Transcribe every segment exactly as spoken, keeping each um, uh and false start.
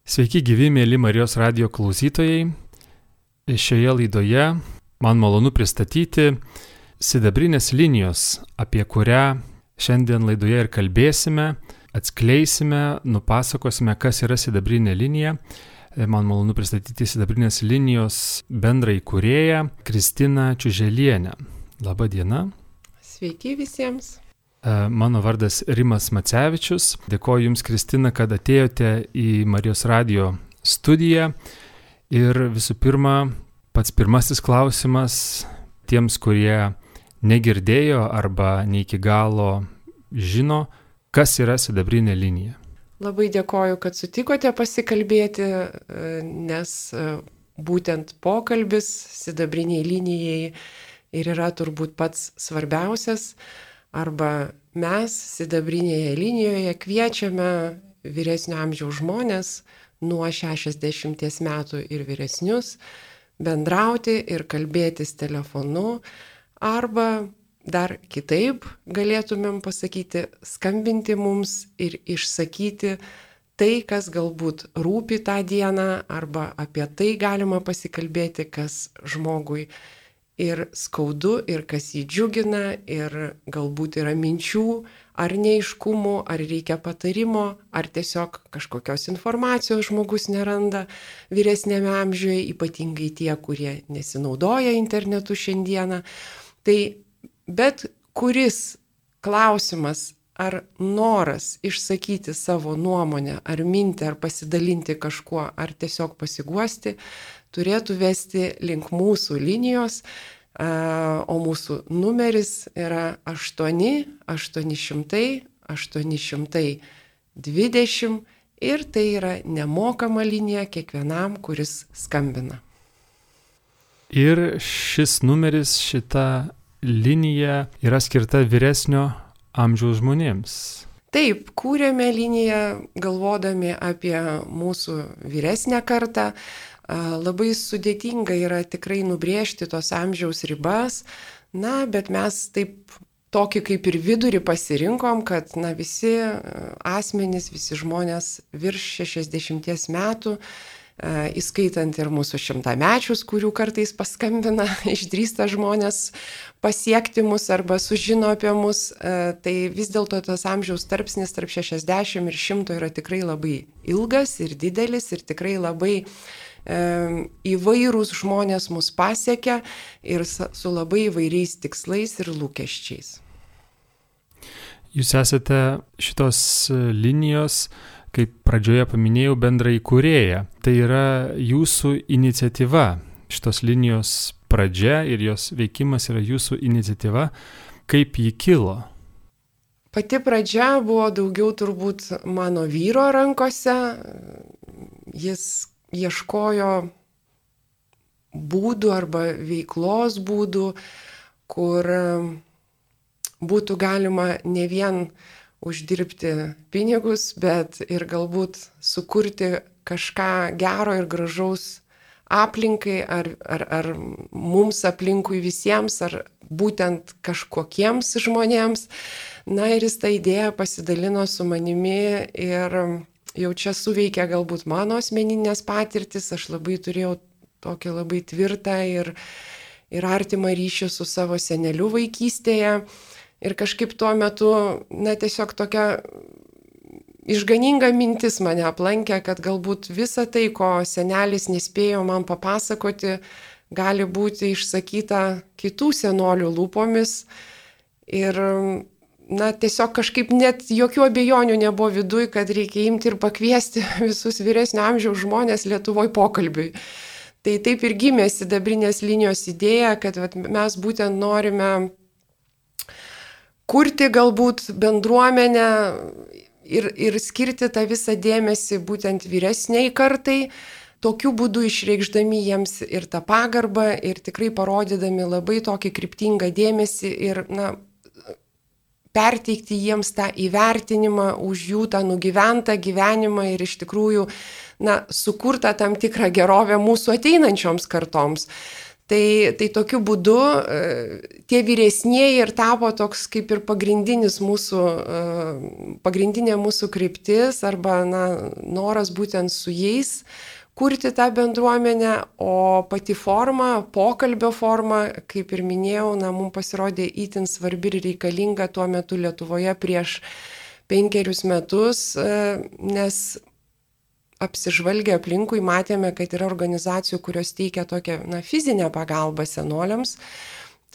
Sveiki gyvi, mėly Marijos radijo klausytojai. Šioje laidoje man malonu pristatyti sidabrinės linijos, apie kurią šiandien laidoje ir kalbėsime, atskleisime, nupasakosime, kas yra sidabrinė linija. Man malonu pristatyti sidabrinės linijos bendrą įkūrėją Kristiną Čiuželienę. Labą dieną. Sveiki visiems. Mano vardas Rimas Macevičius. Dėkoju Jums, Kristina, kad atėjote į Marijos radijo studiją. Ir visų pirma, pats pirmasis klausimas tiems, kurie negirdėjo arba ne iki galo žino, kas yra sidabrinė linija. Labai dėkoju, kad sutikote pasikalbėti, nes būtent pokalbis sidabriniai linijai ir yra turbūt pats svarbiausias. Arba mes sidabrinėje linijoje kviečiame vyresnio amžiaus žmonės nuo šešiasdešimties metų ir vyresnius bendrauti ir kalbėtis telefonu, arba dar kitaip galėtumėm pasakyti, skambinti mums ir išsakyti tai, kas galbūt rūpi tą dieną, arba apie tai galima pasikalbėti, kas žmogui ir skaudu, ir kas jį džiugina, ir galbūt yra minčių, ar neiškumų, ar reikia patarimo, ar tiesiog kažkokios informacijos žmogus neranda vyresnėme amžiuje, ypatingai tie, kurie nesinaudoja internetu šiandieną. Tai bet kuris klausimas ar noras išsakyti savo nuomonę, ar mintį, ar pasidalinti kažkuo, ar tiesiog pasiguosti, turėtų vesti link mūsų linijos, o mūsų numeris yra aštuoni aštuoni šimtai aštuoni šimtai dvidešimt ir tai yra nemokama linija kiekvienam, kuris skambina. Ir šis numeris, šita linija yra skirta vyresnio amžiaus žmonėms. Taip, kūrėme liniją galvodami apie mūsų vyresnę kartą. Labai sudėtinga yra tikrai nubrėžti tos amžiaus ribas, na, bet mes taip tokį kaip ir vidurį pasirinkom, kad na, visi asmenys, visi žmonės virš šešiasdešimties metų, įskaitant ir mūsų šimtamečius, kurių kartais paskambina, išdrįsta žmonės pasiekti mus arba sužino apie mus, tai vis dėlto tas amžiaus tarpsnis tarp šešiasdešimt ir šimto yra tikrai labai ilgas ir didelis ir tikrai labai įvairūs žmonės mus pasiekia ir su labai įvairiais tikslais ir lūkesčiais. Jūs esate šitos linijos, kaip pradžioje paminėjau, bendra įkūrėja. Tai yra jūsų iniciatyva. Šitos linijos pradžia ir jos veikimas yra jūsų iniciatyva. Kaip ji kilo? Pati pradžia buvo daugiau turbūt mano vyro rankose. Jis ieškojo būdų arba veiklos būdų, kur būtų galima ne vien uždirbti pinigus, bet ir galbūt sukurti kažką gero ir gražaus aplinkai, ar, ar, ar mums aplinkui visiems, ar būtent kažkokiems žmonėms. Na ir jis tą idėją pasidalino su manimi ir jau čia suveikia galbūt mano asmeninės patirtis, aš labai turėjau tokį labai tvirtą ir, ir artimą ryšį su savo seneliu vaikystėje. Ir kažkaip tuo metu, na tiesiog tokia išganinga mintis mane aplankė, kad galbūt visa tai, ko senelis nespėjo man papasakoti, gali būti išsakyta kitų senolių lūpomis. Ir na, tiesiog kažkaip net jokių abejonių nebuvo viduj, kad reikia imti ir pakviesti visus vyresnio amžiaus žmonės Lietuvoje pokalbiui. Tai taip ir gimė sidabrinės linijos idėja, kad vat, mes būtent norime kurti galbūt bendruomenę ir, ir skirti tą visą dėmesį būtent vyresniai kartai, tokiu būdu išreikšdami jiems ir tą pagarbą ir tikrai parodydami labai tokį kryptingą dėmesį ir, na, perteikti jiems tą įvertinimą už jų tą nugyventą gyvenimą ir iš tikrųjų, na, sukurtą tam tikrą gerovę mūsų ateinančioms kartoms. Tai, tai tokiu būdu tie vyresnieji ir tapo toks kaip ir pagrindinis mūsų, pagrindinė mūsų kryptis arba na, noras būtent su jais kurti tą bendruomenę, o pati forma, pokalbio forma, kaip ir minėjau, na, mums pasirodė itin svarbi ir reikalinga tuo metu Lietuvoje prieš penkerius metus, nes apsižvalgę aplinkui matėme, kad yra organizacijų, kurios teikia tokią na, fizinę pagalbą senoliams,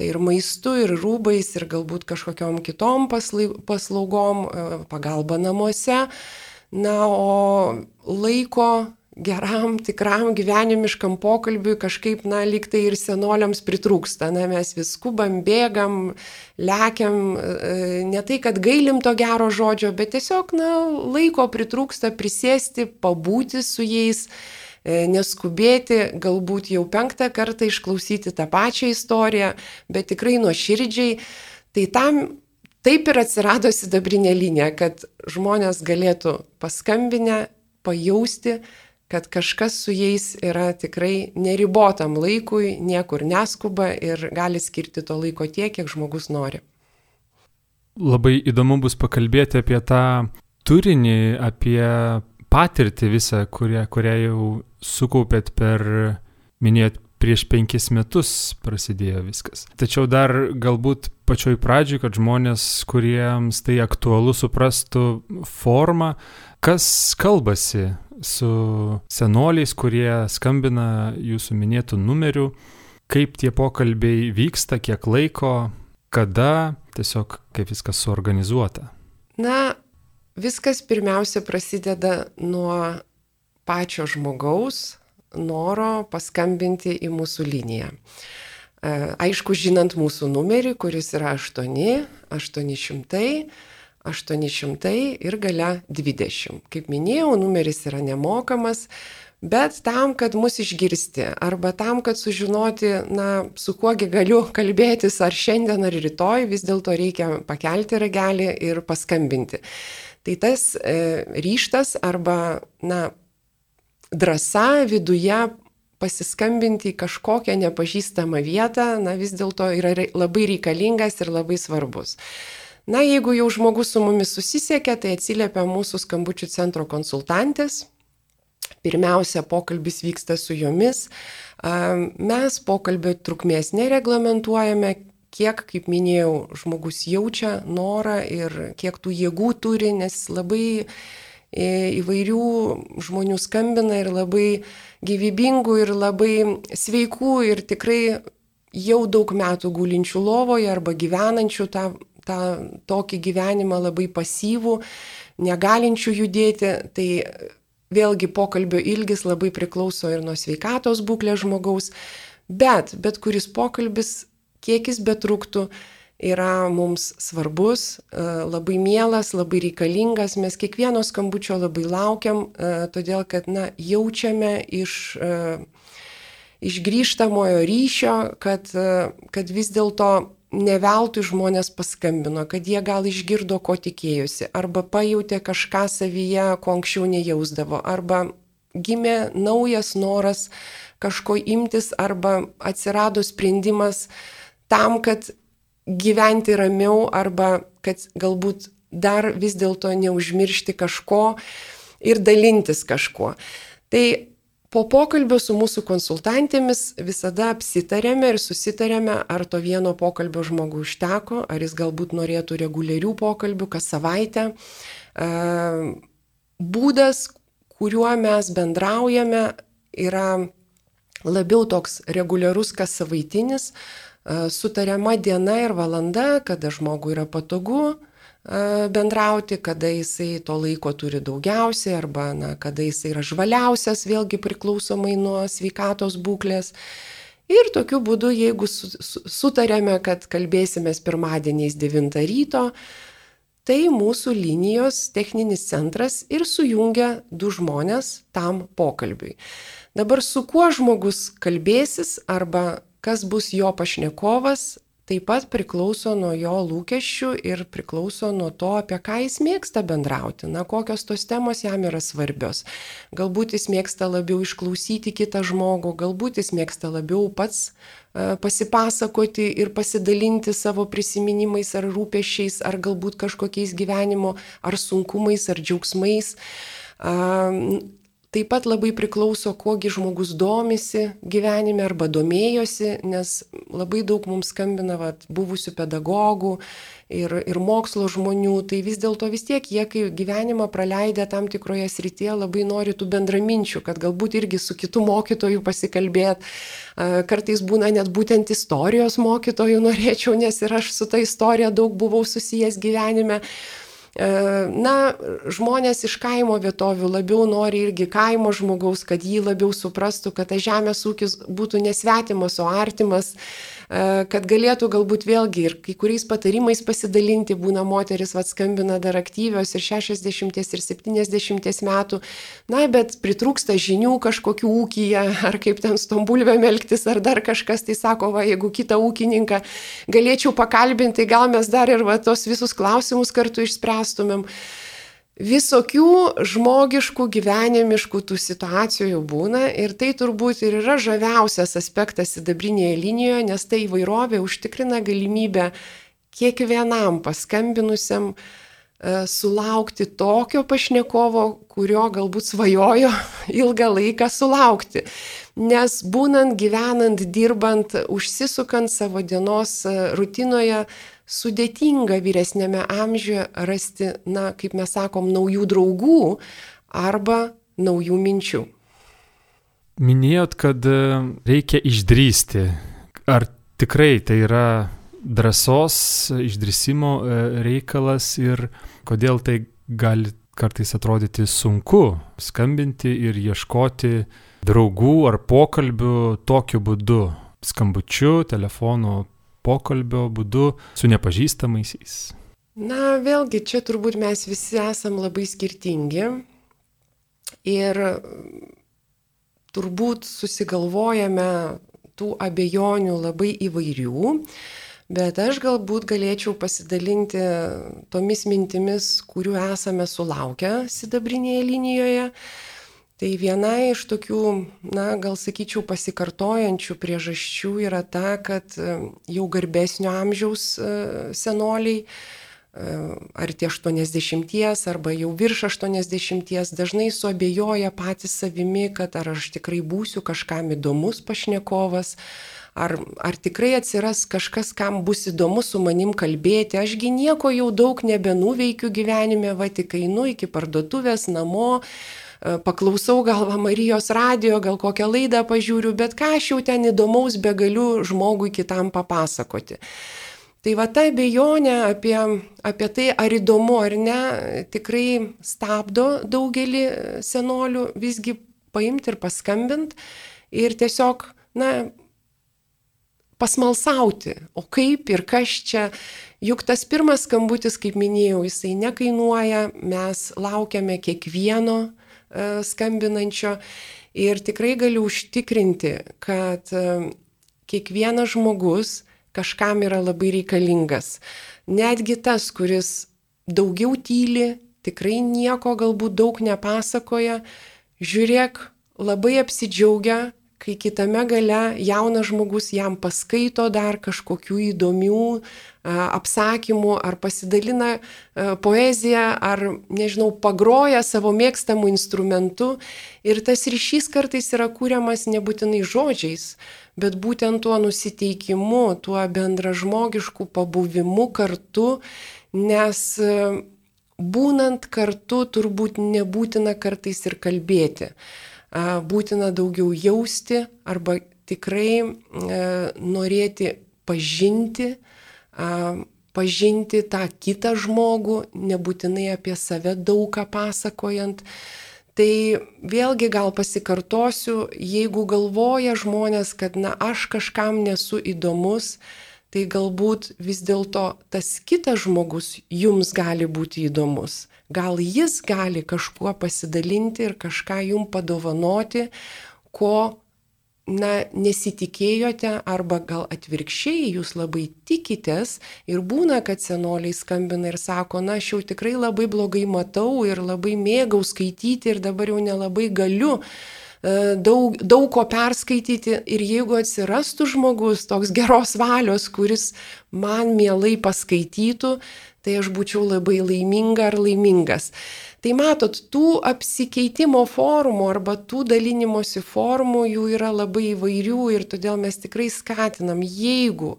tai ir maistu, ir rūbais, ir galbūt kažkokiom kitom paslaugom, pagalba namuose, na, o laiko geram, tikram gyvenimiškam pokalbiui kažkaip, na, lyg tai ir senoliams pritrūksta. Na, mes vis skubam, bėgam, lekiam, ne tai, kad gailim to gero žodžio, bet tiesiog, na, laiko pritrūksta prisėsti, pabūti su jais, neskubėti, galbūt jau penktą kartą išklausyti tą pačią istoriją, bet tikrai nuoširdžiai. Tai tam taip ir atsirado sidabrinė linija, kad žmonės galėtų paskambinę, pajausti, kad kažkas su jais yra tikrai neribotam laikui, niekur neskuba ir gali skirti to laiko tiek, kiek žmogus nori. Labai įdomu bus pakalbėti apie tą turinį, apie patirtį visą, kurią, kurią jau sukaupėt per, minėjot, prieš penkis metus prasidėjo viskas. Tačiau dar galbūt pačioj pradžioj, kad žmonės, kuriems tai aktualu, suprastų formą, kas kalbasi su senoliais, kurie skambina jūsų minėtų numerių, kaip tie pokalbiai vyksta, kiek laiko, kada, tiesiog kaip viskas suorganizuota. Na, viskas pirmiausia prasideda nuo pačio žmogaus noro paskambinti į mūsų liniją. Aišku, žinant mūsų numerį, kuris yra aštuoni aštuoni šimtai aštuoni šimtai ir gale dvidešimt. Kaip minėjau, numeris yra nemokamas, bet tam, kad mus išgirsti arba tam, kad sužinoti, na, su kuogi galiu kalbėtis ar šiandien ar rytoj, vis dėlto reikia pakelti ragelį ir paskambinti. Tai tas e, ryštas arba, na, drąsa viduje pasiskambinti į kažkokią nepažįstamą vietą, na, vis dėlto yra labai reikalingas ir labai svarbus. Na, jeigu jau žmogus su mumis susisiekia, tai atsiliepia mūsų skambučių centro konsultantės. Pirmiausia, pokalbis vyksta su jomis. Mes pokalbio trukmės nereglamentuojame, kiek, kaip minėjau, žmogus jaučia norą ir kiek tų jėgų turi, nes labai įvairių žmonių skambina ir labai gyvybingų ir labai sveikų ir tikrai jau daug metų gulinčių lovoje arba gyvenančių tą, tą tokį gyvenimą labai pasyvų, negalinčių judėti. Tai vėlgi pokalbio ilgis labai priklauso ir nuo sveikatos būklės žmogaus, bet bet kuris pokalbis, kiek jis betruktų, yra mums svarbus, labai mielas, labai reikalingas. Mes kiekvieno skambučio labai laukiam, todėl kad, na, jaučiame iš, iš grįžtamojo ryšio, kad, kad vis dėlto ne veltui žmonės paskambino, kad jie gal išgirdo, ko tikėjosi, arba pajautė kažką savyje, ko anksčiau nejausdavo, arba gimė naujas noras kažko imtis, arba atsirado sprendimas tam, kad gyventi ramiau, arba kad galbūt dar vis dėlto neužmiršti kažko ir dalintis kažkuo. Tai po pokalbio su mūsų konsultantėmis visada apsitarėme ir susitarėme, ar to vieno pokalbio žmogui užteko, ar jis galbūt norėtų reguliarių pokalbių kas savaitę. Būdas, kuriuo mes bendraujame, yra labiau toks reguliarus kas savaitinis, sutariama diena ir valanda, kada žmogui yra patogu bendrauti, kada jisai to laiko turi daugiausiai arba, na, kada jisai yra žvaliausias, vėlgi priklausomai nuo sveikatos būklės. Ir tokiu būdu, jeigu sutarėme, kad kalbėsimės pirmadieniais devintą ryto, tai mūsų linijos techninis centras ir sujungia du žmonės tam pokalbiui. Dabar su kuo žmogus kalbėsis arba kas bus jo pašnekovas, taip pat priklauso nuo jo lūkesčių ir priklauso nuo to, apie ką jis mėgsta bendrauti, na, kokios tos temos jam yra svarbios. Galbūt jis mėgsta labiau išklausyti kitą žmogų, galbūt jis mėgsta labiau pats uh, pasipasakoti ir pasidalinti savo prisiminimais ar rūpesčiais, ar galbūt kažkokiais gyvenimo ar sunkumais ar džiaugsmais. Uh, Taip pat labai priklauso, kuogi žmogus domisi gyvenime arba domėjosi, nes labai daug mums skambina vat, buvusių pedagogų ir, ir mokslo žmonių, tai vis dėlto vis tiek jie, kai gyvenimą praleidę tam tikroje srityje, labai nori tų bendraminčių, kad galbūt irgi su kitu mokytoju pasikalbėt. Kartais būna net būtent istorijos mokytojų norėčiau, nes ir aš su ta istorija daug buvau susijęs gyvenime. Na, žmonės iš kaimo vietovių labiau nori irgi kaimo žmogaus, kad jį labiau suprastų, kad tas žemės ūkis būtų nesvetimas, o artimas, kad galėtų galbūt vėlgi ir kai kuriais patarimais pasidalinti, būna moteris vat skambina dar aktyvios ir šešiasdešimties ir septyniasdešimties metų, na, bet pritrūksta žinių kažkokių ūkyje, ar kaip ten su tom bulvėm elgtis, ar dar kažkas, tai sako, va, jeigu kitą ūkininką galėčiau pakalbinti, tai gal mes dar ir va, tos visus klausimus kartu išspręstumėm. Visokių žmogiškų, gyvenimiškų tų situacijų būna ir tai turbūt ir yra žaviausias aspektas sidabrinėje linijoje, nes tai įvairovė užtikrina galimybę kiekvienam paskambinusiam e, sulaukti tokio pašnekovo, kurio galbūt svajojo ilgą laiką sulaukti. Nes būnant, gyvenant, dirbant, užsisukant savo dienos rutinoje, sudėtinga vyresnėme amžiuje rasti, na, kaip mes sakom, naujų draugų arba naujų minčių. Minėjot, kad reikia išdrįsti. Ar tikrai tai yra drąsos, išdrįsimo reikalas ir kodėl tai gali kartais atrodyti sunku skambinti ir ieškoti draugų ar pokalbių tokiu būdu, skambučiu, telefonu, pokalbio būdu su nepažįstamaisiais? Na, vėlgi, čia turbūt mes visi esam labai skirtingi ir turbūt susigalvojame tų abejonių labai įvairių, bet aš galbūt galėčiau pasidalinti tomis mintimis, kurių esame sulaukę sidabrinėje linijoje. Tai viena iš tokių, na, gal sakyčiau, pasikartojančių priežasčių yra ta, kad jau garbesnio amžiaus senoliai, ar tie aštuoniasdešimties, arba jau virš aštuoniasdešimties, dažnai suabejoja patys savimi, kad ar aš tikrai būsiu kažkam įdomus pašnekovas, ar, ar tikrai atsiras kažkas, kam bus įdomu su manim kalbėti. Ašgi nieko jau daug nebenuveikiu gyvenime, va tik einu iki parduotuvės, namo, paklausau gal Marijos radijo, gal kokią laidą pažiūriu, bet ką aš jau ten įdomaus begaliu žmogui kitam papasakoti. Tai va ta abejonė apie, apie tai, ar įdomu ar ne, tikrai stabdo daugelį senolių visgi paimti ir paskambinti ir tiesiog, na, pasmalsauti, o kaip ir kas čia. Juk tas pirmas skambutis, kaip minėjau, jisai nekainuoja, mes laukiame kiekvieno skambinančio ir tikrai galiu užtikrinti, kad kiekvienas žmogus kažkam yra labai reikalingas. Netgi tas, kuris daugiau tyli, tikrai nieko galbūt daug nepasakoja, žiūrėk, labai apsidžiaugia, kai kitame gale jaunas žmogus jam paskaito dar kažkokių įdomių apsakymų, ar pasidalina poeziją, ar, nežinau, pagroja savo mėgstamų instrumentų. Ir tas ryšys kartais yra kūriamas nebūtinai žodžiais, bet būtent tuo nusiteikimu, tuo bendražmogišku pabuvimu kartu, nes būnant kartu turbūt nebūtina kartais ir kalbėti. Būtina daugiau jausti arba tikrai e, norėti pažinti, a, pažinti tą kitą žmogų, nebūtinai apie save daug ką pasakojant. Tai vėlgi gal pasikartosiu, jeigu galvoja žmonės, kad na aš kažkam nesu įdomus, tai galbūt vis dėlto tas kitas žmogus jums gali būti įdomus. Gal jis gali kažkuo pasidalinti ir kažką jums padovanoti, ko na, nesitikėjote arba gal atvirkščiai jūs labai tikitės ir būna, kad senoliai skambina ir sako, na, aš jau tikrai labai blogai matau ir labai mėgau skaityti ir dabar jau nelabai galiu daug, daug ko perskaityti ir jeigu atsirastų žmogus toks geros valios, kuris man mielai paskaitytų, tai aš būčiau labai laiminga ar laimingas. Tai matot, tų apsikeitimo formų arba tų dalinimosi formų jų yra labai įvairių ir todėl mes tikrai skatinam, jeigu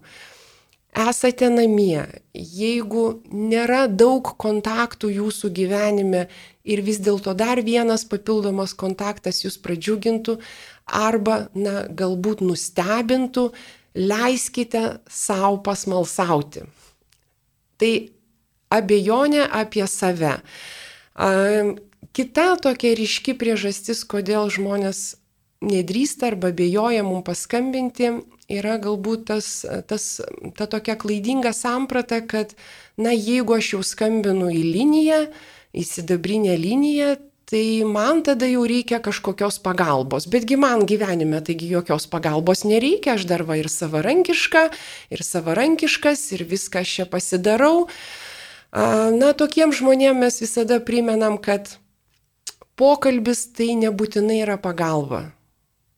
esate namie, jeigu nėra daug kontaktų jūsų gyvenime ir vis dėlto dar vienas papildomas kontaktas jūs pradžiugintų arba, na, galbūt nustebintų, leiskite savo pasmalsauti. Tai abejonė apie save. Kita tokia ryški priežastis, kodėl žmonės nedrįsta arba abejoja mums paskambinti, yra galbūt tas, tas, ta tokia klaidinga samprata, kad, na, jeigu aš jau skambinu į liniją, į sidabrinę liniją, tai man tada jau reikia kažkokios pagalbos. Betgi man gyvenime taigi jokios pagalbos nereikia, aš dar va ir savarankiška, ir savarankiškas, ir viską aš čia pasidarau. Na, tokiems žmonėms mes visada primenam, kad pokalbis tai nebūtinai yra pagalba.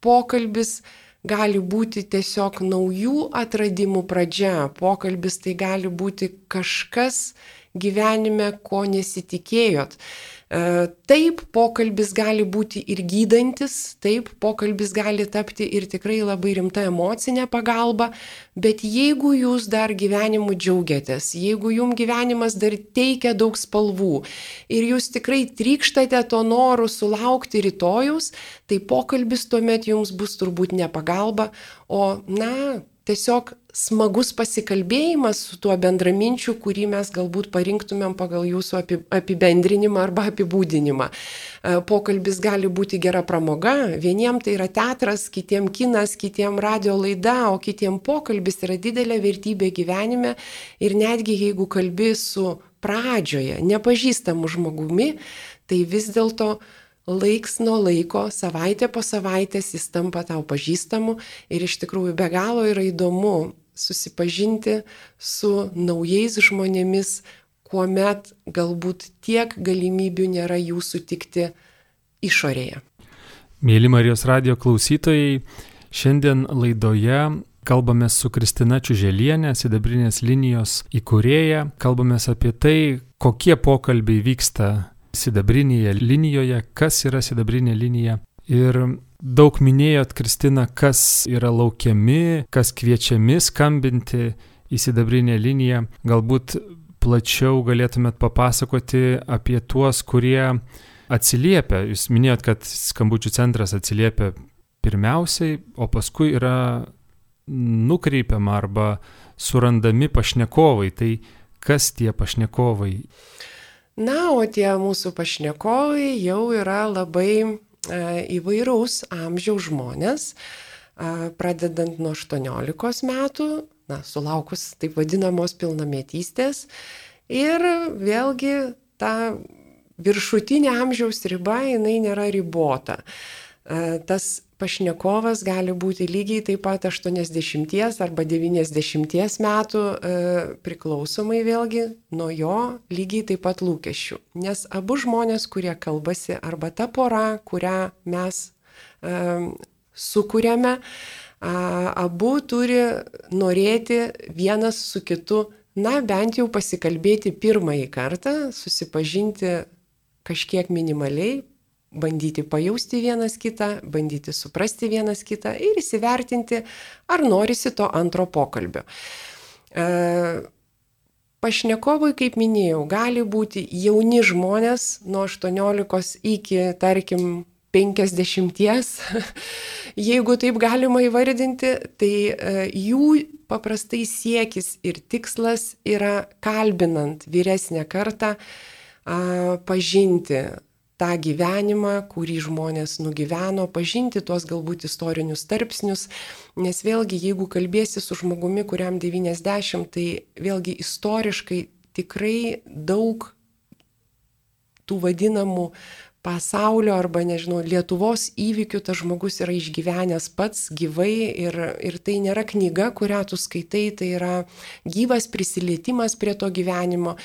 Pokalbis gali būti tiesiog naujų atradimų pradžia. Pokalbis tai gali būti kažkas gyvenime, ko nesitikėjot. Taip, pokalbis gali būti ir gydantis, taip, pokalbis gali tapti ir tikrai labai rimta emocinė pagalba, bet jeigu jūs dar gyvenimu džiaugiatės, jeigu jums gyvenimas dar teikia daug spalvų ir jūs tikrai trykštate to noru sulaukti rytojus, tai pokalbis tuomet jums bus turbūt ne pagalba, o, na, tiesiog smagus pasikalbėjimas su tuo bendraminčiu, kurį mes galbūt parinktumėm pagal jūsų apibendrinimą arba apibūdinimą. Pokalbis gali būti gera pramoga, vieniem tai yra teatras, kitiem kinas, kitiem radio laida, o kitiem pokalbis yra didelė vertybė gyvenime ir netgi jeigu kalbi su pradžioje nepažįstamu žmogumi, tai vis dėlto laiks nuo laiko, savaitė po savaitės jis tampa tau pažįstamu ir iš tikrųjų be galo yra įdomu susipažinti su naujais žmonėmis, kuomet galbūt tiek galimybių nėra jų sutikti išorėje. Mėly Marijos radijo klausytojai, šiandien laidoje kalbame su Kristina Čiuželienė, Sidabrinės linijos įkūrėja, kalbame apie tai, kokie pokalbiai vyksta Sidabrinėje linijoje, kas yra sidabrinė linija. Ir daug minėjot, Kristina, kas yra laukiami, kas kviečiami skambinti į sidabrinę liniją. Galbūt plačiau galėtumėt papasakoti apie tuos, kurie atsiliepia. Jūs minėjot, kad skambučių centras atsiliepia pirmiausiai, o paskui yra nukreipiama arba surandami pašnekovai. Tai kas tie pašnekovai? Na, o tie mūsų pašnekovai jau yra labai e, įvairaus amžiaus žmonės, e, pradedant nuo aštuoniolikos metų, na, sulaukus taip vadinamos pilnametystės, ir vėlgi ta viršutinė amžiaus riba, jinai nėra ribota. E, tas pašnekovas gali būti lygiai taip pat aštuoniasdešimties arba devyniasdešimties metų, e, priklausomai vėlgi nuo jo lygiai taip pat lūkesčių. Nes abu žmonės, kurie kalbasi, arba ta pora, kurią mes e, sukūrėme, a, abu turi norėti vienas su kitu, na, bent jau pasikalbėti pirmąjį kartą, susipažinti kažkiek minimaliai, bandyti pajausti vienas kitą, bandyti suprasti vienas kitą ir įsivertinti, ar norisi to antro pokalbio. E, pašnekovai, kaip minėjau, gali būti jauni žmonės nuo aštuoniolikos iki, tarkim, penkiasdešimties, jeigu taip galima įvardinti, tai e, jų paprastai siekis ir tikslas yra, kalbinant vyresnę kartą, a, pažinti tą gyvenimą, kurį žmonės nugyveno, pažinti tuos galbūt istorinius tarpsnius, nes vėlgi, jeigu kalbėsi su žmogumi, kuriam devyniasdešimt, tai vėlgi istoriškai tikrai daug tų vadinamų pasaulio arba, nežinau, Lietuvos įvykių tas žmogus yra išgyvenęs pats gyvai ir, ir tai nėra knyga, kurią tu skaitai, tai yra gyvas prisilietimas prie to gyvenimo.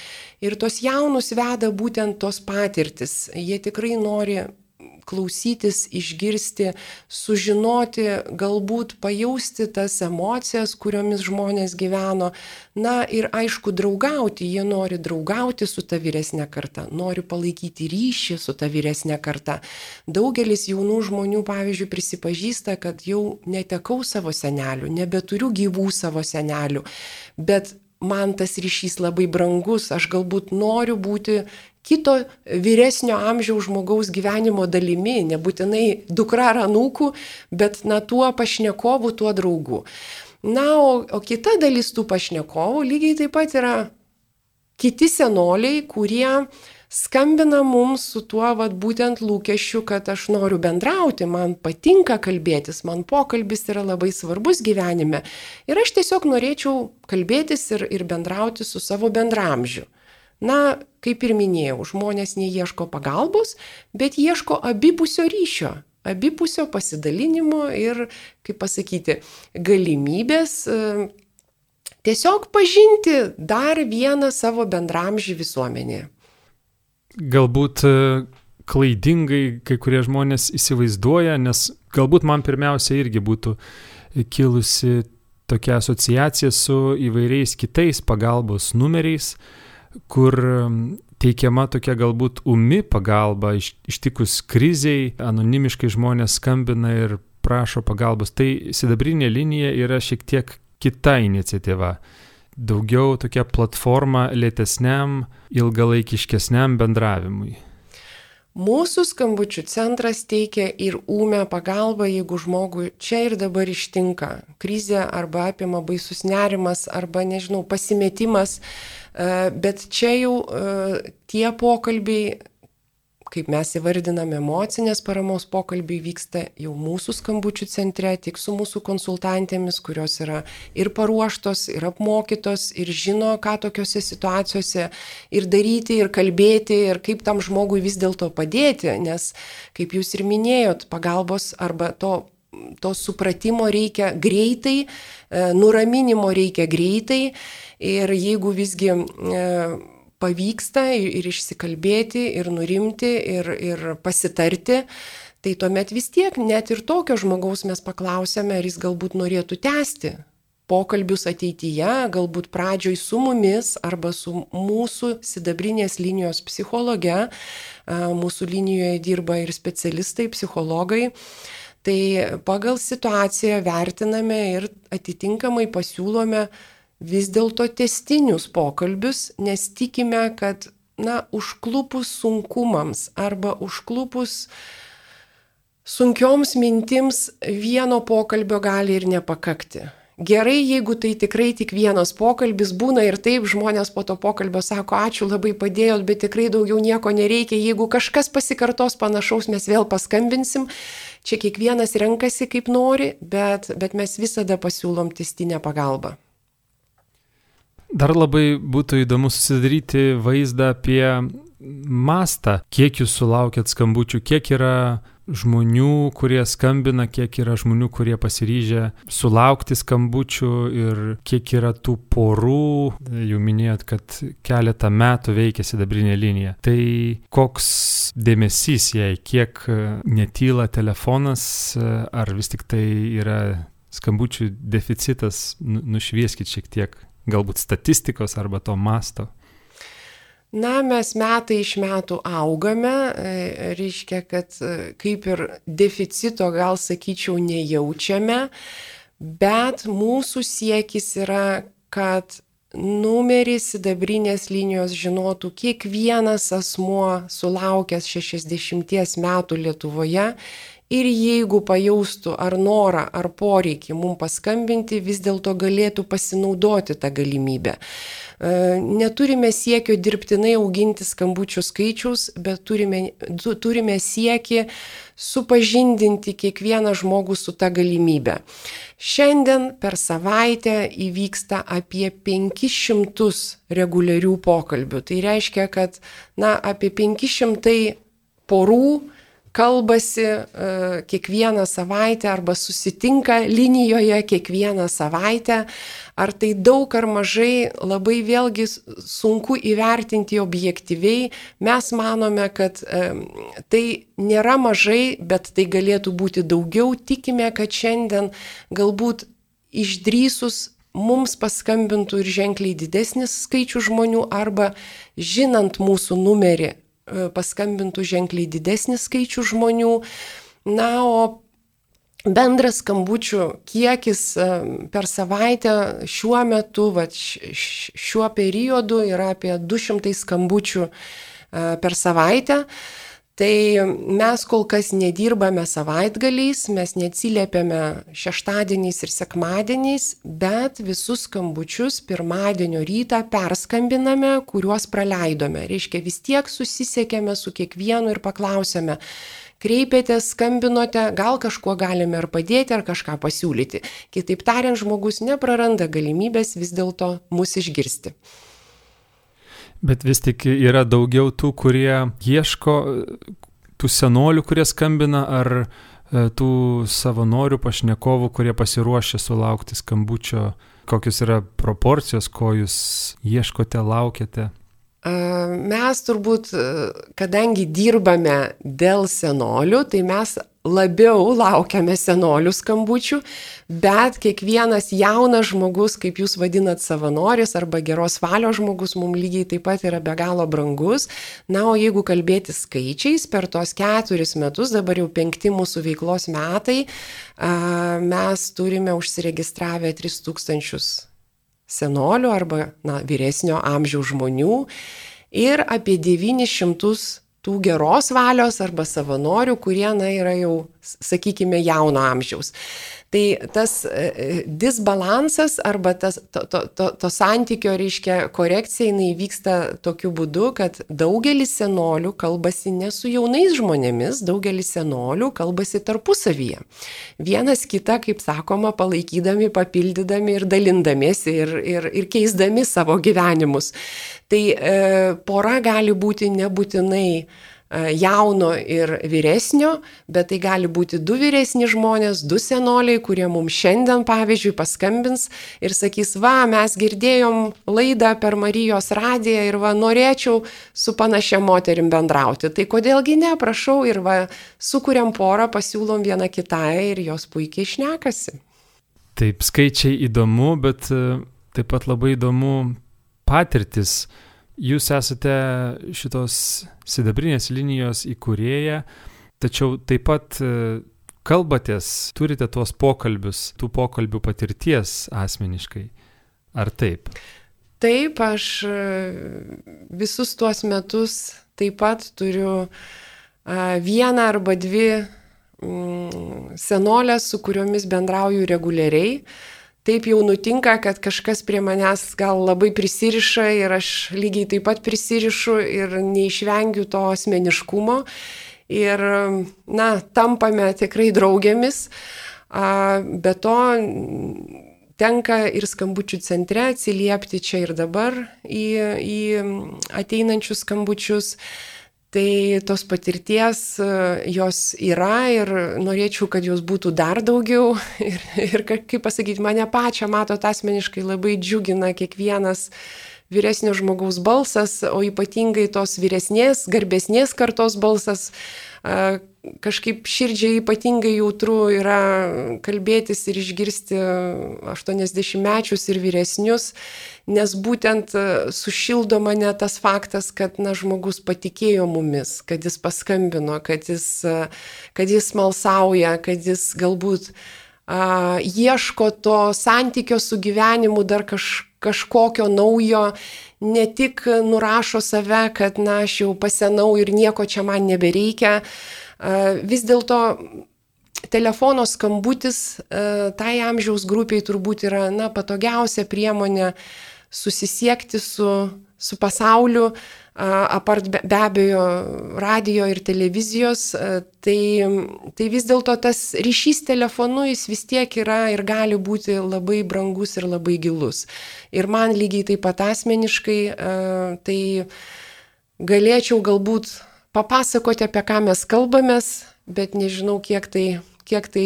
Ir tos jaunus veda būtent tos patirtis. Jie tikrai nori klausytis, išgirsti, sužinoti, galbūt pajausti tas emocijas, kuriomis žmonės gyveno. Na ir aišku, draugauti. Jie nori draugauti su ta vyresnė karta, nori palaikyti ryšį su ta vyresnė karta. Daugelis jaunų žmonių, pavyzdžiui, prisipažįsta, kad jau netekau savo senelių, nebeturiu gyvų savo senelių, bet man tas ryšys labai brangus, aš galbūt noriu būti kito vyresnio amžiaus žmogaus gyvenimo dalimi, nebūtinai dukra ar anūkų, bet na tuo pašnekovu, tuo draugu. Na, o, o kita dalis tų pašnekovų lygiai taip pat yra kiti senoliai, kurie skambina mums su tuo vat, būtent lūkesčiu, kad aš noriu bendrauti, man patinka kalbėtis, man pokalbis yra labai svarbus gyvenime. Ir aš tiesiog norėčiau kalbėtis ir, ir bendrauti su savo bendramžiu. Na, kaip ir minėjau, žmonės neieško pagalbos, bet ieško abipusio ryšio, abipusio pasidalinimo ir, kaip pasakyti, galimybės e, tiesiog pažinti dar vieną savo bendramžį visuomenėje. Galbūt klaidingai kai kurie žmonės įsivaizduoja, nes galbūt man pirmiausia irgi būtų kilusi tokia asociacija su įvairiais kitais pagalbos numeriais, kur teikiama tokia galbūt umi pagalba ištikus kriziai, anonimiškai žmonės skambina ir prašo pagalbos. Tai sidabrinė linija yra šiek tiek kita iniciatyva. Daugiau tokia platforma lėtesniam, ilgalaikiškesniam bendravimui. Mūsų skambučių centras teikia ir ūmę pagalbą, jeigu žmogui čia ir dabar ištinka krizė arba apima baisus nerimas arba, nežinau, pasimetimas, bet čia jau tie pokalbiai, kaip mes įvardiname, emocinės paramos pokalbiai vyksta jau mūsų skambučių centre, tik su mūsų konsultantėmis, kurios yra ir paruoštos, ir apmokytos, ir žino, ką tokiose situacijose ir daryti, ir kalbėti, ir kaip tam žmogui vis dėlto padėti, nes, kaip jūs ir minėjot, pagalbos arba to, to supratimo reikia greitai, nuraminimo reikia greitai, ir jeigu visgi pavyksta ir išsikalbėti, ir nurimti, ir, ir pasitarti, tai tuomet vis tiek net ir tokio žmogaus mes paklausėme, ar jis galbūt norėtų tęsti pokalbius ateityje, galbūt pradžioj su mumis arba su mūsų sidabrinės linijos psichologe. Mūsų linijoje dirba ir specialistai, psichologai. Tai pagal situaciją vertiname ir atitinkamai pasiūlome vis dėlto tęstinius pokalbius, nes tikime, kad, na, užklupus sunkumams arba užklupus sunkioms mintims vieno pokalbio gali ir nepakakti. Gerai, jeigu tai tikrai tik vienas pokalbis, būna ir taip, žmonės po to pokalbio sako, ačiū, labai padėjot, bet tikrai daugiau nieko nereikia, jeigu kažkas pasikartos panašaus, mes vėl paskambinsim. Čia kiekvienas renkasi kaip nori, bet, bet mes visada pasiūlom tęstinę pagalbą. Dar labai būtų įdomu susidaryti vaizdą apie mastą, kiek jūs sulaukėt skambučių, kiek yra žmonių, kurie skambina, kiek yra žmonių, kurie pasiryžę sulaukti skambučių ir kiek yra tų porų. Jau minėjot, kad keletą metų veikia sidabrinė linija. Tai koks dėmesys jai, kiek netyla telefonas, ar vis tik tai yra skambučių deficitas, nušvieskit šiek tiek. Galbūt statistikos arba to masto? Na, mes metai iš metų augame, reiškia, kad kaip ir deficito, gal sakyčiau, nejaučiame, bet mūsų siekis yra, kad numerį sidabrinės linijos žinotų kiekvienas asmuo sulaukęs šešiasdešimties metų Lietuvoje. Ir jeigu pajaustų ar norą, ar poreikį mums paskambinti, vis dėlto galėtų pasinaudoti tą galimybę. Neturime siekio dirbtinai auginti skambučių skaičius, bet turime, turime siekį supažindinti kiekvieną žmogų su tą galimybę. Šiandien per savaitę įvyksta apie penkis šimtus reguliarių pokalbių. Tai reiškia, kad na, apie penki šimtai porų kalbasi kiekvieną savaitę arba susitinka linijoje kiekvieną savaitę. Ar tai daug ar mažai, labai vėlgi sunku įvertinti objektyviai. Mes manome, kad tai nėra mažai, bet tai galėtų būti daugiau. Tikime, kad šiandien galbūt išdrįsus mums paskambintų ir ženkliai didesnis skaičius žmonių, arba žinant mūsų numerį paskambintų ženkliai didesnis skaičius žmonių. Na, o bendras skambučių kiekis per savaitę šiuo metu, va, šiuo periodu yra apie du šimtai skambučių per savaitę. Tai mes kol kas nedirbame savaitgaliais, mes neatsiliepiame šeštadieniais ir sekmadieniais, bet visus skambučius pirmadienio rytą perskambiname, kuriuos praleidome. Reiškia, vis tiek susisiekėme su kiekvienu ir paklausėme, kreipėtės, skambinote, gal kažkuo galime ar padėti, ar kažką pasiūlyti. Kitaip tariant, žmogus nepraranda galimybės vis dėlto mus išgirsti. Bet vis tik yra daugiau tų, kurie ieško, tų senolių, kurie skambina, ar tų savanorių, pašnekovų, kurie pasiruošia sulaukti skambučio. Kokios yra proporcijos, ko jūs ieškote, laukiate? Mes turbūt, kadangi dirbame dėl senolių, tai mes labiau laukiame senolių skambučių, bet kiekvienas jaunas žmogus, kaip jūs vadinat savanoris arba geros valios žmogus, mums lygiai taip pat yra be galo brangus. Na, o jeigu kalbėti skaičiais, per tos keturis metus, dabar jau penkti mūsų veiklos metai, mes turime užsiregistravę tris tūkstančius senolių arba na, vyresnio amžiaus žmonių ir apie devynis šimtus tų geros valios arba savanorių, kurie na, yra jau, sakykime, jauno amžiaus. Tai tas e, disbalansas arba tas, to, to, to, to santykio, reiškia, korekcija, jinai vyksta tokiu būdu, kad daugelis senolių kalbasi ne su jaunais žmonėmis, daugelis senolių kalbasi tarpusavyje. Vienas kitą, kaip sakoma, palaikydami, papildydami ir dalindamiesi ir, ir, ir keisdami savo gyvenimus. Tai e, pora gali būti nebūtinai jauno ir vyresnio, bet tai gali būti du vyresni žmonės, du senoliai, kurie mums šiandien, pavyzdžiui, paskambins ir sakys, va, mes girdėjom laidą per Marijos radiją ir va, norėčiau su panašia moterim bendrauti. Tai kodėlgi ne, prašau, ir va, sukuriam porą, pasiūlom vieną kitai ir jos puikiai šnekasi. Taip, skaičiai įdomu, bet taip pat labai įdomu patirtis. Jūs esate šitos sidabrinės linijos įkūrėja, tačiau taip pat kalbatės, turite tuos pokalbius, tų pokalbių patirties asmeniškai. Ar taip? Taip, aš visus tuos metus taip pat turiu vieną arba dvi senolės, su kuriomis bendrauju reguliariai. Taip jau nutinka, kad kažkas prie manęs gal labai prisiriša ir aš lygiai taip pat prisirišu ir neišvengiu to asmeniškumo. Ir, na, tampame tikrai draugėmis. Be to, tenka ir skambučių centre atsiliepti čia ir dabar į, į ateinančius skambučius. Tai tos patirties jos yra ir norėčiau, kad jos būtų dar daugiau. Ir, ir kaip pasakyti, mane pačią, matot, asmeniškai labai džiugina kiekvienas vyresnio žmogaus balsas, o ypatingai tos vyresnės, garbesnės kartos balsas. Kažkaip širdžiai ypatingai jautru yra kalbėtis ir išgirsti aštuoniasdešimtmečius ir vyresnius, nes būtent sušildo mane tas faktas, kad na, žmogus patikėjo mumis, kad jis paskambino, kad jis, kad jis smalsauja, kad jis galbūt a, ieško to santykio su gyvenimu dar kaž, kažkokio naujo, ne tik nurašo save, kad na, aš jau pasenau ir nieko čia man nebereikia. Vis dėlto telefono skambutis tai amžiaus grupiai turbūt yra na, patogiausia priemonė susisiekti su, su pasauliu, apart be, be abejo radijo ir televizijos. Tai, tai vis dėlto tas ryšys telefonu jis vis tiek yra ir gali būti labai brangus ir labai gilus. Ir man lygiai taip pat asmeniškai tai galėčiau galbūt papasakoti, apie ką mes kalbamės, bet nežinau, kiek tai, kiek tai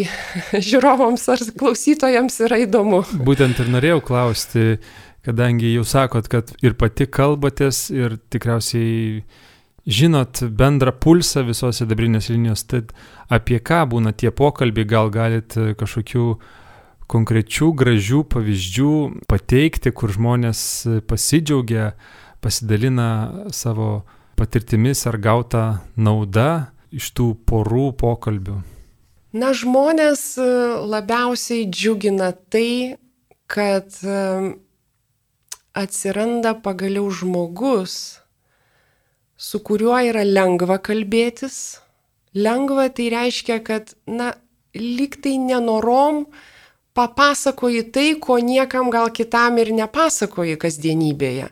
žiūrovams ar klausytojams yra įdomu. Būtent ir norėjau klausti, kadangi jau sakot, kad ir pati kalbatės ir tikriausiai žinot bendrą pulsą visos sidabrinės linijos, tai apie ką būna tie pokalbiai, gal galit kažkokių konkrečių gražių pavyzdžių pateikti, kur žmonės pasidžiaugia, pasidalina savo patirtimis ar gauta nauda iš tų porų pokalbių? Na, žmonės labiausiai džiugina tai, kad atsiranda pagaliau žmogus, su kuriuo yra lengva kalbėtis. Lengva tai reiškia, kad, na, lyg tai nenorom papasakoji tai, ko niekam gal kitam ir nepasakoji kasdienybėje.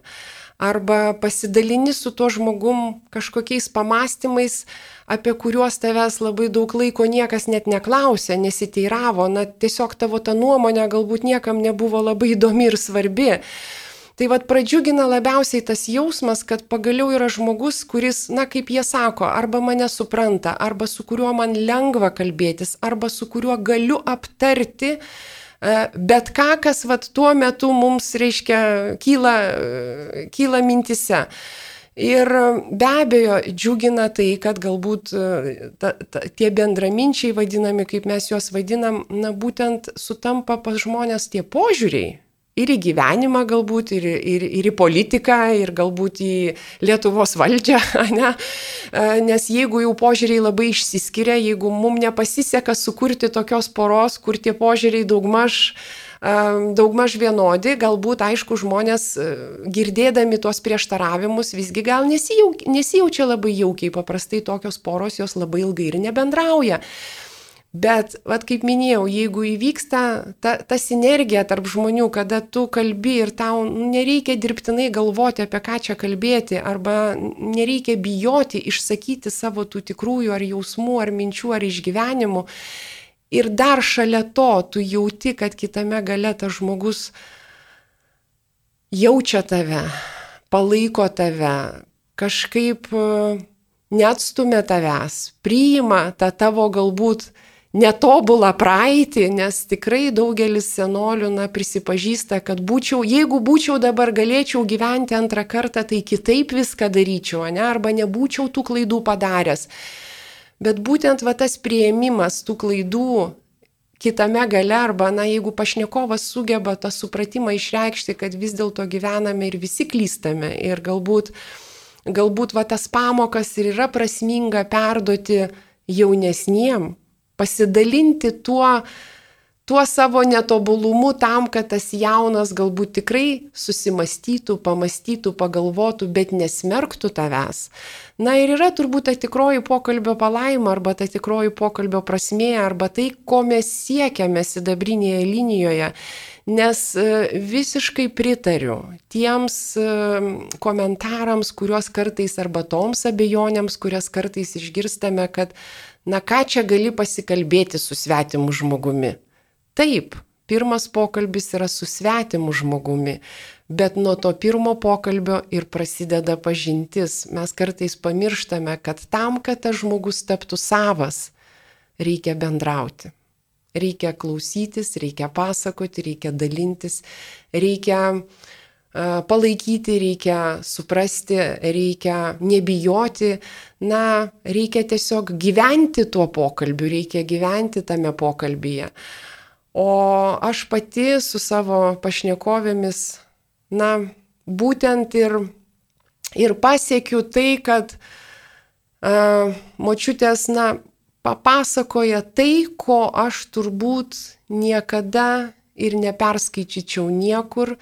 Arba pasidalini su tuo žmogum kažkokiais pamastymais, apie kuriuos tavęs labai daug laiko niekas net neklausė, nesiteiravo, na tiesiog tavo ta nuomonė galbūt niekam nebuvo labai įdomi ir svarbi. Tai vat pradžiugina labiausiai tas jausmas, kad pagaliau yra žmogus, kuris, na kaip jie sako, arba mane supranta, arba su kuriuo man lengva kalbėtis, arba su kuriuo galiu aptarti bet ką, kas vat tuo metu mums, reiškia, kyla, kyla mintise. Ir be abejo, džiugina tai, kad galbūt ta, ta, tie bendraminčiai vadinami, kaip mes juos vadinam, na būtent sutampa pas žmonės tie požiūriai. Ir į gyvenimą galbūt, ir, ir, ir į politiką, ir galbūt į Lietuvos valdžią, ne? Nes jeigu jau požiūriai labai išsiskiria, jeigu mums nepasiseka sukurti tokios poros, kur tie požiūriai daugmaž, daugmaž vienodi, galbūt, aišku, žmonės girdėdami tuos prieštaravimus visgi gal nesijaukia, nesijaučia labai jaukiai, paprastai tokios poros jos labai ilgai ir nebendrauja. Bet, vat, kaip minėjau, jeigu įvyksta ta, ta sinergija tarp žmonių, kada tu kalbi ir tau nereikia dirbtinai galvoti, apie ką čia kalbėti, arba nereikia bijoti išsakyti savo tų tikrųjų ar jausmų, ar minčių, ar išgyvenimų. Ir dar šalia to tu jauti, kad kitame gale tas žmogus jaučia tave, palaiko tave, kažkaip neatstumia tavęs, priima tą tavo galbūt netobulą praeitį, nes tikrai daugelis senolių na, prisipažįsta, kad būčiau, jeigu būčiau dabar galėčiau gyventi antrą kartą, tai kitaip viską daryčiau, ne? Arba nebūčiau tų klaidų padaręs. Bet būtent va, tas priėmimas tų klaidų kitame gale, arba na, jeigu pašnekovas sugeba tą supratimą išreikšti, kad vis dėlto gyvename ir visi klystame ir galbūt, galbūt va, tas pamokas ir yra prasminga perduoti jaunesniem, pasidalinti tuo, tuo savo netobulumu tam, kad tas jaunas galbūt tikrai susimastytų, pamastytų, pagalvotų, bet nesmerktų tavęs. Na ir yra turbūt ta tikroji pokalbio palaima, arba ta tikroji pokalbio prasmė, arba tai, ko mes siekiame sidabrinėje linijoje. Nes visiškai pritariu tiems komentarams, kuriuos kartais, arba toms abejonėms, kurias kartais išgirstame, kad na ką čia gali pasikalbėti su svetimu žmogumi. Taip, pirmas pokalbis yra su svetimu žmogumi, bet nuo to pirmo pokalbio ir prasideda pažintis. Mes kartais pamirštame, kad tam, kad tas žmogus taptų savas, reikia bendrauti. Reikia klausytis, reikia pasakoti, reikia dalintis, reikia palaikyti, reikia suprasti, reikia nebijoti, na, reikia tiesiog gyventi tuo pokalbiu, reikia gyventi tame pokalbyje. O aš pati su savo pašnekovėmis, na, būtent ir, ir pasiekiu tai, kad a, močiutės, na, papasakoja tai, ko aš turbūt niekada ir neperskaičičiau niekur,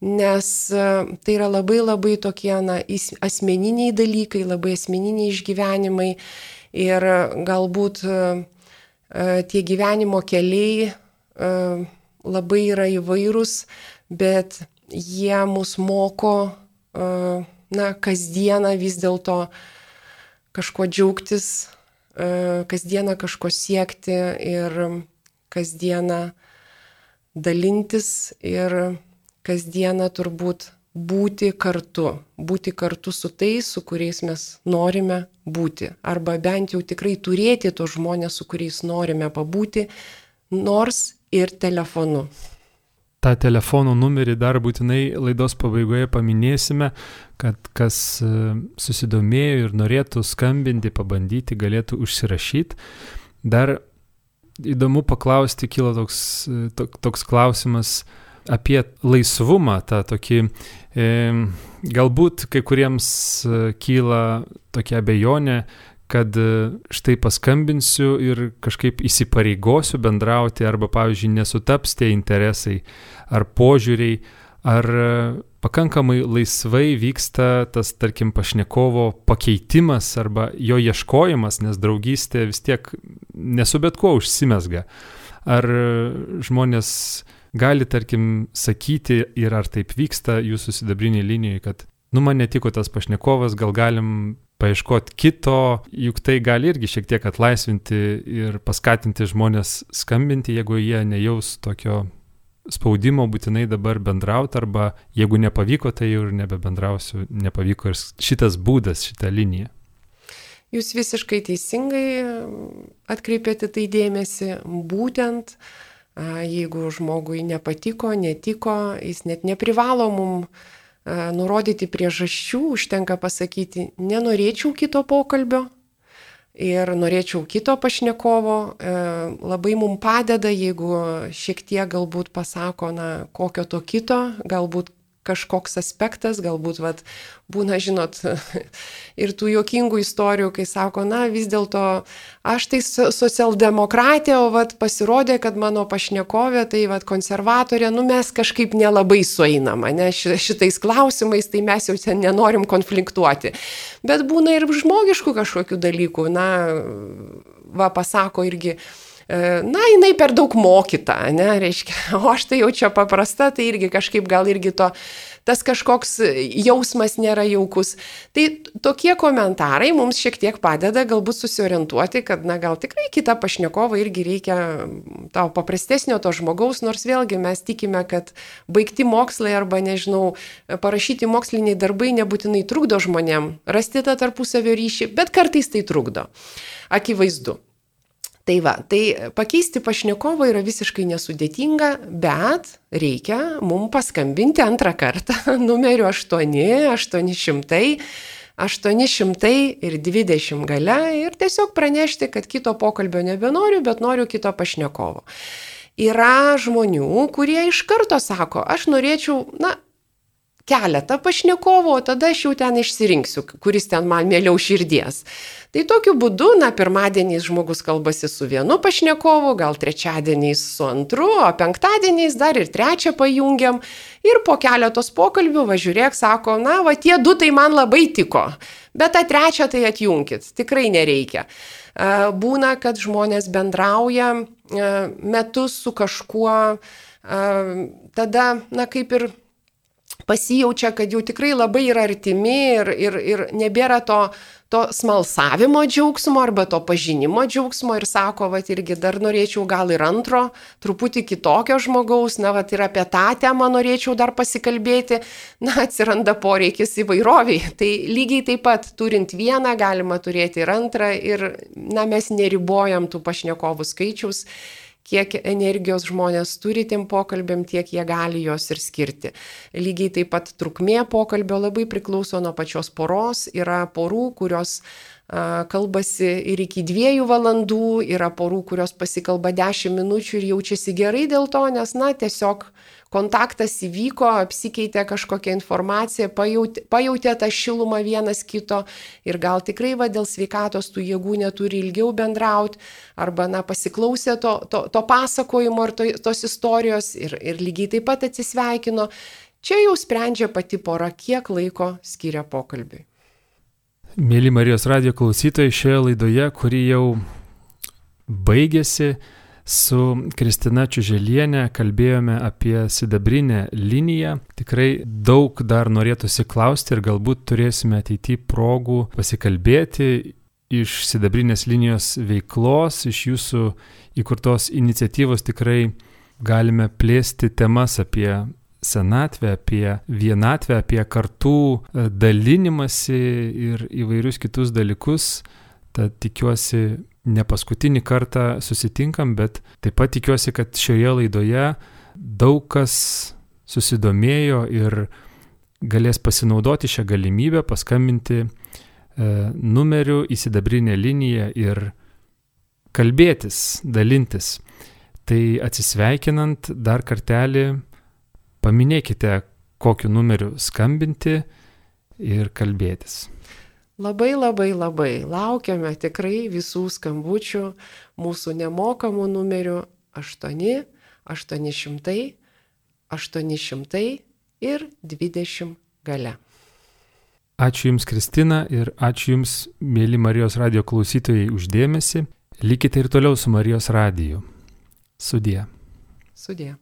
nes tai yra labai labai tokie na, asmeniniai dalykai, labai asmeniniai išgyvenimai ir galbūt tie gyvenimo keliai labai yra įvairūs, bet jie mus moko na, kasdieną vis dėlto kažko džiaugtis, kasdieną kažko siekti ir kasdieną dalintis ir kasdieną turbūt būti kartu, būti kartu su tais, su kuriais mes norime būti, arba bent jau tikrai turėti tos žmonės, su kuriais norime pabūti, nors ir telefonu. tą telefono numerį dar būtinai laidos pabaigoje paminėsime, kad kas susidomėjo ir norėtų skambinti, pabandyti, galėtų užsirašyti. Dar įdomu paklausti, kilo toks, toks klausimas apie laisvumą, tą tokį, e, galbūt kai kuriems kyla tokia abejonė, kad štai paskambinsiu ir kažkaip įsipareigosiu bendrauti, arba, pavyzdžiui, nesutaps tie interesai ar požiūriai, ar pakankamai laisvai vyksta tas, tarkim, pašnekovo pakeitimas arba jo ieškojimas, nes draugystė vis tiek nesu bet kuo užsimezga. Ar žmonės gali, tarkim, sakyti, ir ar taip vyksta jūsų sidabrinėje linijoje, kad, nu, man netiko tas pašnekovas, gal galim paieškoti kito, juk tai gali irgi šiek tiek atlaisvinti ir paskatinti žmonės skambinti, jeigu jie nejaus tokio spaudimo būtinai dabar bendrauti, arba jeigu nepavyko, tai jau ir nebebendrausiu, nepavyko ir šitas būdas, šita linija. Jūs visiškai teisingai atkreipėte tai dėmesį, būtent jeigu žmogui nepatiko, netiko, jis net neprivalo mum nurodyti priežasčių, užtenka pasakyti, nenorėčiau kito pokalbio ir norėčiau kito pašnekovo. Labai mums padeda, jeigu šiek tiek galbūt pasako, na, kokio to kito, galbūt kažkoks aspektas, galbūt vat, būna, žinot, ir tų juokingų istorijų, kai sako, na, vis dėlto aš tai socialdemokratė, o vat, pasirodė, kad mano pašnekovė, tai vat, konservatorė, nu mes kažkaip nelabai sueinama, ne, šitais klausimais, tai mes jau ten nenorim konfliktuoti. Bet būna ir žmogiškų kažkokių dalykų, na, va, pasako irgi, na, jinai per daug mokyta, ne, reiškia, o aš tai jau čia paprasta, tai irgi kažkaip gal irgi to, tas kažkoks jausmas nėra jaukus. Tai tokie komentarai mums šiek tiek padeda galbūt susiorientuoti, kad, na, gal tikrai kitą pašnekovą irgi reikia tau paprastesnio to žmogaus, nors vėlgi mes tikime, kad baigti mokslai arba, nežinau, parašyti moksliniai darbai nebūtinai trukdo žmonėm rasti tą tarpusavio ryšį, bet kartais tai trukdo. Akivaizdu. Tai va, tai pakeisti pašnekovą yra visiškai nesudėtinga, bet reikia mums paskambinti antrą kartą numeriu aštuoni aštuoni šimtai aštuoni šimtai ir dvidešimt gale ir tiesiog pranešti, kad kito pokalbio nebenoriu, bet noriu kito pašnekovo. Yra žmonių, kurie iš karto sako, aš norėčiau, na, keletą pašnekovų, o tada aš jau ten išsirinksiu, kuris ten man mieliau širdies. Tai tokiu būdu, na, pirmadieniais žmogus kalbasi su vienu pašnekovu, gal trečiadieniais su antru, o penktadieniais dar ir trečią pajungiam. Ir po keletos pokalbių, va žiūrėk, sako, na, va tie du tai man labai tiko, bet tą trečią tai atjunkit, tikrai nereikia. Būna, kad žmonės bendrauja metus su kažkuo, tada, na, kaip ir pasijaučia, kad jau tikrai labai yra artimi ir, ir, ir nebėra to, to smalsavimo džiaugsmo arba to pažinimo džiaugsmo ir sako, va irgi dar norėčiau gal ir antro, truputį kitokio žmogaus, na, va ir apie tą temą norėčiau dar pasikalbėti, na, atsiranda poreikis įvairoviai. Tai lygiai taip pat, turint vieną, galima turėti ir antrą ir, na, mes neribojam tų pašnekovų skaičiaus, kiek energijos žmonės turi tiem pokalbėm, tiek jie gali jos ir skirti. Lygiai taip pat trukmė pokalbio labai priklauso nuo pačios poros. Yra porų, kurios a, kalbasi ir iki dviejų valandų, yra porų, kurios pasikalba dešimt minučių ir jaučiasi gerai dėl to, nes, na, tiesiog kontaktas įvyko, apsikeitė kažkokią informaciją, pajautė, pajautė tą šilumą vienas kito ir gal tikrai va, dėl sveikatos tų jėgų neturi ilgiau bendrauti, arba, na, pasiklausė to, to, to pasakojimo ar to, tos istorijos ir, ir lygiai taip pat atsisveikino. Čia jau sprendžia pati pora, kiek laiko skiria pokalbiui. Mėly Marijos radijo klausytojai, šioje laidoje, kuri jau baigėsi, su Kristina Čiuželienė kalbėjome apie sidabrinę liniją. Tikrai daug dar norėtųsi klausti ir galbūt turėsime ateityje progų pasikalbėti iš sidabrinės linijos veiklos, iš jūsų įkurtos iniciatyvos. Tikrai galime plėsti temas apie senatvę, apie vienatvę, apie kartų dalinimąsi ir įvairius kitus dalykus. Tad tikiuosi, ne paskutinį kartą susitinkam, bet taip pat tikiuosi, kad šioje laidoje daug kas susidomėjo ir galės pasinaudoti šią galimybę, paskambinti e, numeriu į sidabrinę liniją ir kalbėtis, dalintis. Tai atsisveikinant dar kartelį, paminėkite, kokiu numeriu skambinti ir kalbėtis. Labai, labai, labai laukiame tikrai visų skambučių mūsų nemokamų numerių aštuoni aštuoni šimtai aštuoni šimtai ir dvidešimt gale. Ačiū Jums, Kristina, ir ačiū Jums, mėly Marijos radijo klausytojai, už dėmesį. Likite ir toliau su Marijos radiju. Sudie. Sudie.